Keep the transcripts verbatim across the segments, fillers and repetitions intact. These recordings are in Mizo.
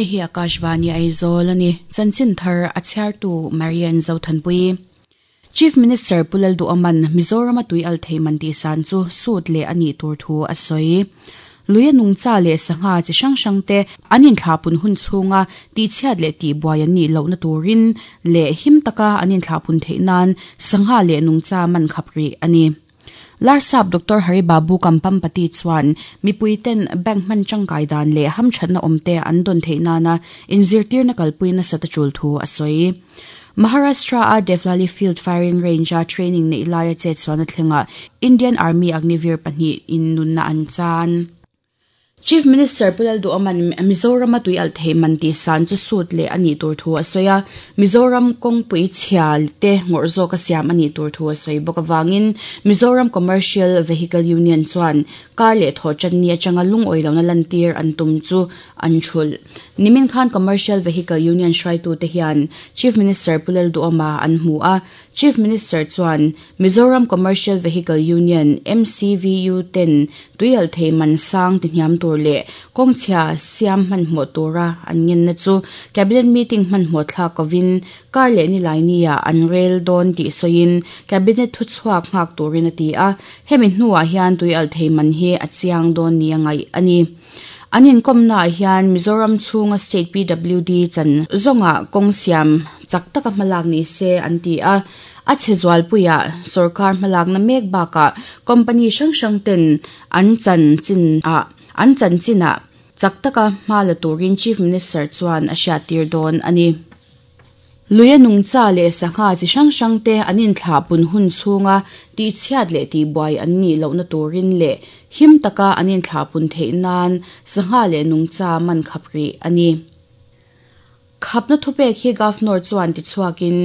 Hei hi Akashvani Aizawl ani chanchin thar a chhiartu Marian Zothanpui. Chief Minister Pu Lalduhoma'n Mizoram a tui al thei man tih san chu sut leh a nih tur thu a sawi. Luia nungcha leh sangha chi hrang hrang te an inthlahpun hun chhunga tihchhiat leh tihbuai an nih lohna turin leh him taka an inthlahpun theih nan sangha leh nungcha man khap rih a ni. Larsap Doctor Haribabu Kampampati chuan mipui ten bank hman tangkai dan leh hamthatna awmte an dawn theih nana inzirtirna kalpui nasa ta tul thu a sawi. Maharashtra a Devlali Field Firing Range a training nei laia chet chuan a thlenga Indian Army Agniveer pahnih in nunna an chan. Chief Minister Pu Lalduhoma'n Mizoram a tui al thei man tih san chu sut leh a nih tur thu a sawi a, Mizoram kawngpui chhia te ngawrh zawk a siam a nih tur thu a sawi bawk awangin Mizoram Commercial Vehicle Union chuan kar leh thaw channi atanga lungawi lohna lantir an tum chu an thul. Nimin khan Commercial Vehicle Union hruaitu te hian Chief Minister Pu Lalduhoma an hmu a, Chief Minister chuan Mizoram Commercial Vehicle Union M C V U ten tui al thei man sang ti hniam tur leh kawngchhia siam hmanhmawh tura an ngenna chu cabinet meeting hmanhmawh thlak kovin kar leh ni lai nia an rel dawn tih sawiin cabinet thu chhuak nghak turin a ti a, hemi hnuah hian tui al thei man hi a chiang dawn ni a ngaih a ni. An inkomna ah hian Mizoram chhunga state P W D chan zawnga kawng siam chak taka hmalak ni se an ti a, a chhe zualpuia sarkar hmalakna mek bakah company hrang hrang ten an chan chin a an chan chinah chak taka hmala turin Chief Minister chuan a hriattir dawn a ni. Luia nungcha leh sangha chi hrang hrang te an inthlahpun hun chhunga tihchhiat leh tihbuai an nih lohna turin leh him taka an inthlahpun theih nan sangha leh nungcha man khap rih a ni. Khapna thupek hi Governor chuan tichhuakin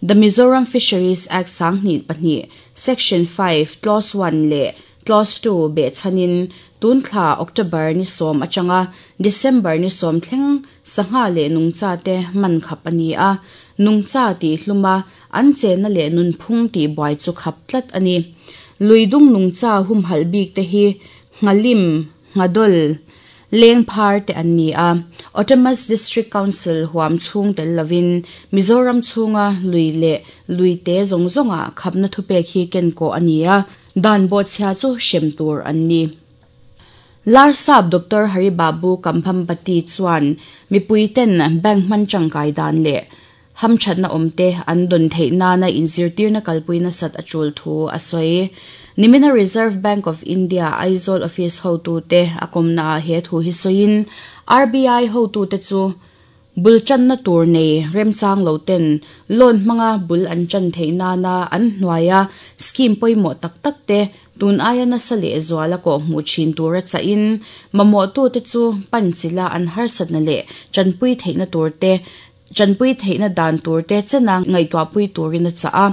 The Mizoram Fisheries Act sanghnih pahnih Section five Clause one leh Clause two be chanin tunthla October ni sawm atanga December ni sawm thleng sangha leh nungcha te man khap ani a, nungcha ti hluma an chena leh nunphung ti buai chu khap tlat ani. Luidung nungcha hum hal bik te hi ngalim ngadol leng phar te an ni a, Autonomous District Council huam chhung tel lovin Mizoram chhunga lui leh lui te zawng zawnga khapna thupek hi ken ko ani a, dan bo chhia chu hrem tur an ni. Larsap Doctor Haribabu Kampampati chuan mipui ten bank hman tangkai dan leh hamthatna awmte an dawn theih nana inzirtirna kalpuina sat a tul thu a sawi. Nimina Reserve Bank of India Aizawl Office hotu te a kawmna ah he thu hi sawiin R B I hotu te chu bul channa tur nei remchang lo ten loan hmanga bul an chan theih nana an hnuaia scheme pawimawh tak tak te tun aia nasa leh zuala kawh hmuh thin tura chahin mamawh tu te chu pan chila an harsatna leh chanpui theihna tur te chanpui theihna dan tur te chena ngaihtuahpui turin a cha a,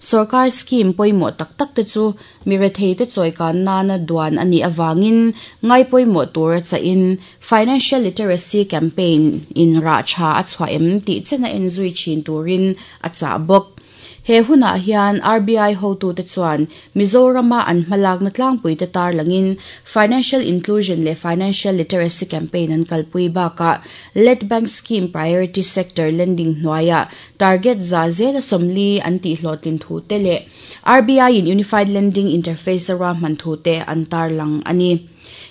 sarkar scheme pawimawh tak tak te chu mirethei te chawikan nana duan ani awangin ngai pawimawh tura chahin financial literacy campaign in ra tha a chhuah em tih chena enzui thin turin a cha bawk. He hunah hian R B I hotu te chuan Mizorama an hmalakna tlangpui te tar langin financial inclusion leh financial literacy campaign an kalpui bakah Let Bank Scheme Priority Sector Lending hnuaia target za zela sawmli an tih hlawhtlin thu te leh R B I in Unified Lending Interface a ruahman thu te an tar lang ani.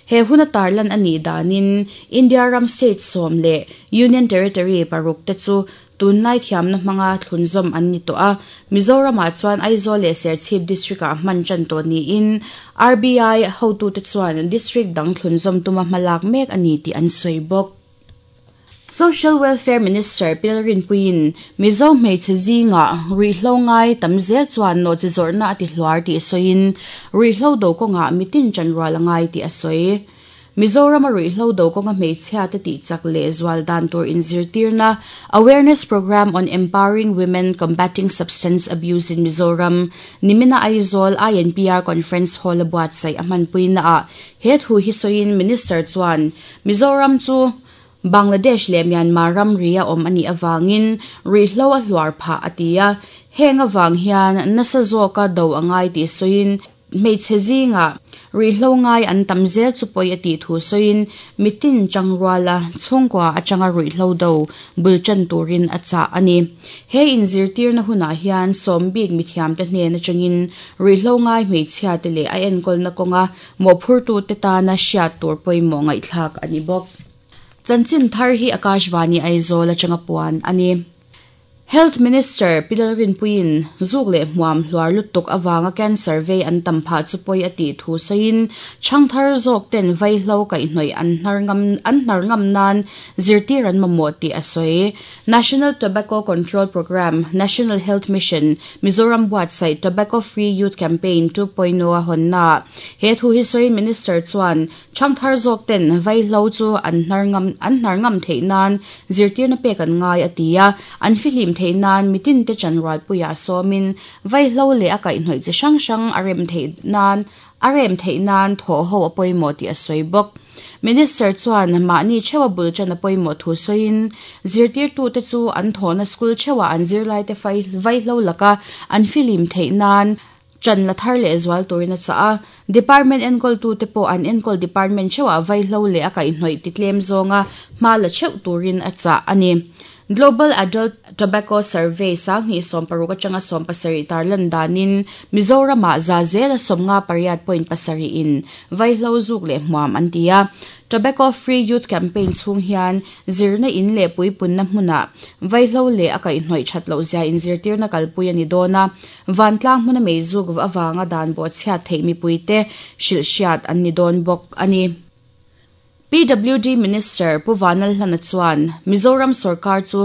He huna tarlan ani danin India ram state sawm leh Union Territory paruk te chu tunlai thiamna hmanga thlunzawm an ni tawh a, Mizoramah chuan Aizawl leh Serchhip district ah hman tan tawh niin R B I hotu te chuan district dang thlunzawm tuma hmalak mek ani tih an sawi bawk. Social Welfare Minister Pilrin Puiin Mizo hmeichhe zinga ruihhlo ngai tam zel chuan nawh chi zawrhna a ti hluar tih sawiin ruihhlo do kawnga mitin chanrual a ngai tih a sawi. Mizoram a ruihhlo do kawnga hmeichhia te tih chak leh zual dan tur inzirtirna Awareness Program on Empowering Women Combating Substance Abuse in Mizoram nimina Aizawl I N P R Conference Hall a buatsaih a hmanpuina ah he thu hi sawiin Minister chuan Mizoram chu Bangladesh leh Myanmar ram ria awm ani awangin ruihhlo a hluar phah a ti a, heng awang hian nasa zawka do angai tih sawiin Hmeichhe zinga ruihhlo ngai an tam zel chu pawi a tih thu sawiin mitin changruala chhungkua atanga ruihhlo do bul tan turin a chah a ni. He inzirtirna hunah hian sawmbik mithiam te hnen atangin ruihhlo ngai hmeichhia te leh a enkawlna kawnga mawhphurtu te tana hriat tur pawimawh ngaihthlak a ni bawk. Chanchin thar hi Akashvani Aizawl atanga puan a ni. Health Minister Pi Lalrinpuiin zuk leh hmuam hluar lutuk awanga cancer vei an tam phah chu pawi a tih thu sawiin changthar zawk ten vaihlo kaihhnawih an hnar ngam an hnar ngam nan zirtir an mamawh tih a sawi. National Tobacco Control Programme National Health Mission Mizoram buatsaih Tobacco Free Youth Campaign two point oh a hawnna he thu hi sawiin Minister chuan changthar zawk ten vaihlo chu an hnar ngam an hnar ngam theih nan zirtirna pek an ngai a ti a, an fihlim theih nan mitin te chanrual puia sawmin vaihlo leh a kaihhnawih chi hrang hrang a rem theih nan a rem theih nan thaw ho a pawimawh tih a sawi bawk. Minister chuan mahni thewa bul chan a pawimawh thu sawiin zirtirtu te chu an thawhna school thewa an zirlai te vaihlo laka an fihlim theih nan chan la thar leh zual turin a chah a. Department enkawl tu te pawh an enkawl department thewa vaihlo leh a kaihhnawih ti tlem zawnga hma la theuh turin a chah a ni. Global Adult Tobacco Survey sang hi som paruk atanga som pasarih tarlan danin Mizoram ah za zel a somnga pariat point pasarih in vaihlo zuk leh hmuam an ti a. Tobacco Free Youth Campaign chhung hian zirna in leh puipunna hmuna vaihlo leh a kaihhnawih that loh zia in zirtirna kalpui ani dawn a. Vantlang hmuna meizuk awanga dan bo chhiat theih mipuite hrilh hriat an ni dawn bawk ani. P W D Minister Pu Vanlalhlana chuan Mizoram Sarkar chu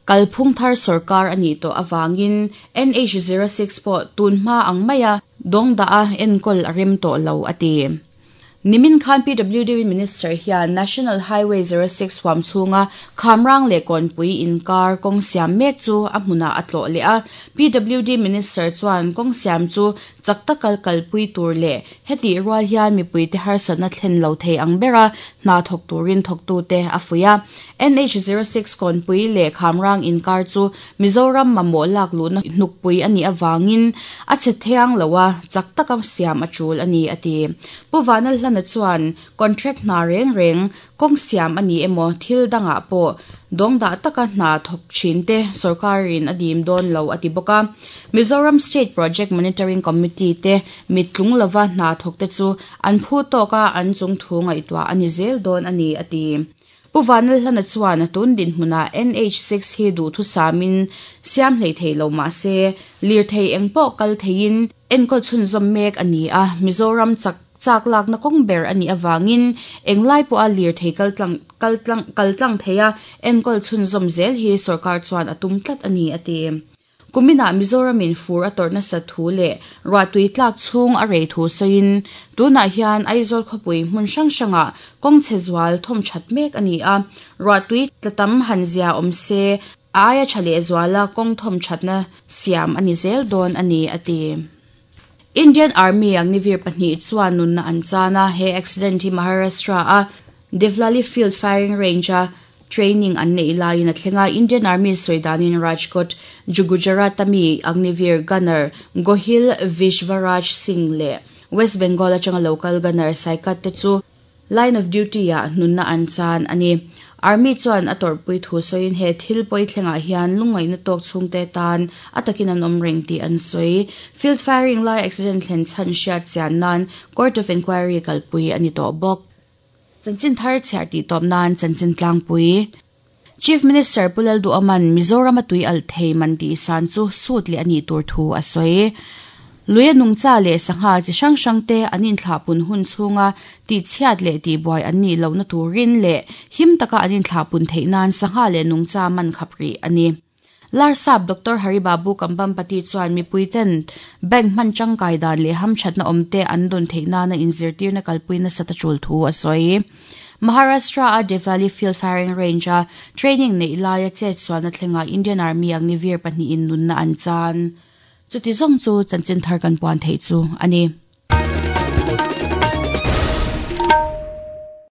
kalphung thar sarkar ani to awangin N H zero six pawh tunhma ang maia dawngda a enkawl a rem tawh lo a ti. Nimin khan P W D Minister hian National Highway zero six huam chhunga Khamrang leh Kawnpui inkar kawng siam mek chu a hmunah a tlawh leh a. P W D Minister chuan kawng siam chu chak taka kalpui tur leh heti rual hian mipui te harsatna thlen lo thei ang bera hna thawk turin thawktu te a fuih a. N H zero six Kawnpui leh Khamrang inkar chu Mizoram mamawh lak luhna hnukpui ani awangin a che thiang lo a chak taka siam a tul ani a ti. Pu Vanlalhlana chuan contract hna reng reng kawng siam ani emaw thil dangah pawh dawngdah taka hna thawk thin te sarkarin a dim dawn lo a ti bawk a. Mizoram State Project Monitoring Committee te mittlung lova hna thawk te chu an phu tawka an chung thu ngaihtuah ani zel dawn ani a ti. Pu Vanlalhlana chuan tun din hmuna N H six hi duh thu samin siam hlei thei lo ma se lir thei eng pawh kal theiin enkawl chhun zawm mek ani a. Mizoram chak chak lak na kawng ber ani awangin englai pawh a lir thei kaltlang kaltlang kaltlang theia enkawl chhun zawm zel hi sarkar chuan a tum tlat ani a ti. Kumina Mizoramin fur a tawrhna sathu leh ruahtui tlak chhung a rei thu sawiin tunah hian Aizawl khawpui hmun hrang hrangah kawng chhe zual thawm that mek ani a. Ruahtui tlatam han zia awm se a aia tha leh zuala kawng thawm thatna siam ani zel dawn ani a ti. Indian Army Agnivir pahnih chuan nunna an chana he accident hi Maharashtra a Devlali Field Firing Range a training an nei laiin a thlenga. Indian Army sawidanin Rajkot Gujarat ami Agnivir Gunner Gohil Vishwaraj Singh leh West Bengal atanga local gunner Saikat te chu line of duty ah nunna an chan ani. Army chuan a tawrhpui thu sawiin he thil pawi thlengah hian lungngaihna tawk chhungte tan a takin an awm reng tih an sawi. Field firing lai accident thlen chhan hriat chian nan Court of Inquiry kalpui ani tawh bawk. Chanchin thar chhiar tih tawp nan chanchin tlangpui. Chief Minister Pu Lalduhoma'n Mizoram a tui al thei man tih san chu sut leh ani tur thu a sawi. Luia nungcha leh sangha chi hrang hrang te an inthlahpun hun chhunga tih chhiat leh tih buai an nih lohna turin leh him taka an inthlahpun theih nan sangha leh nungcha man khap rih ani. Larsap Doctor Haribabu Kambampati chuan mipuiten bank hman tangkai dan leh hamthatna awmte an dawn theih nana inzirtirna kalpuina sata tul thu a sawi. Maharashtra a Devlali Field Firing Range a training nei laia chet sualna thlenga Indian Army Agnivir pahnih in nunna an chan. Chuti zawng chu chanchin thar kan puan thei chu ani.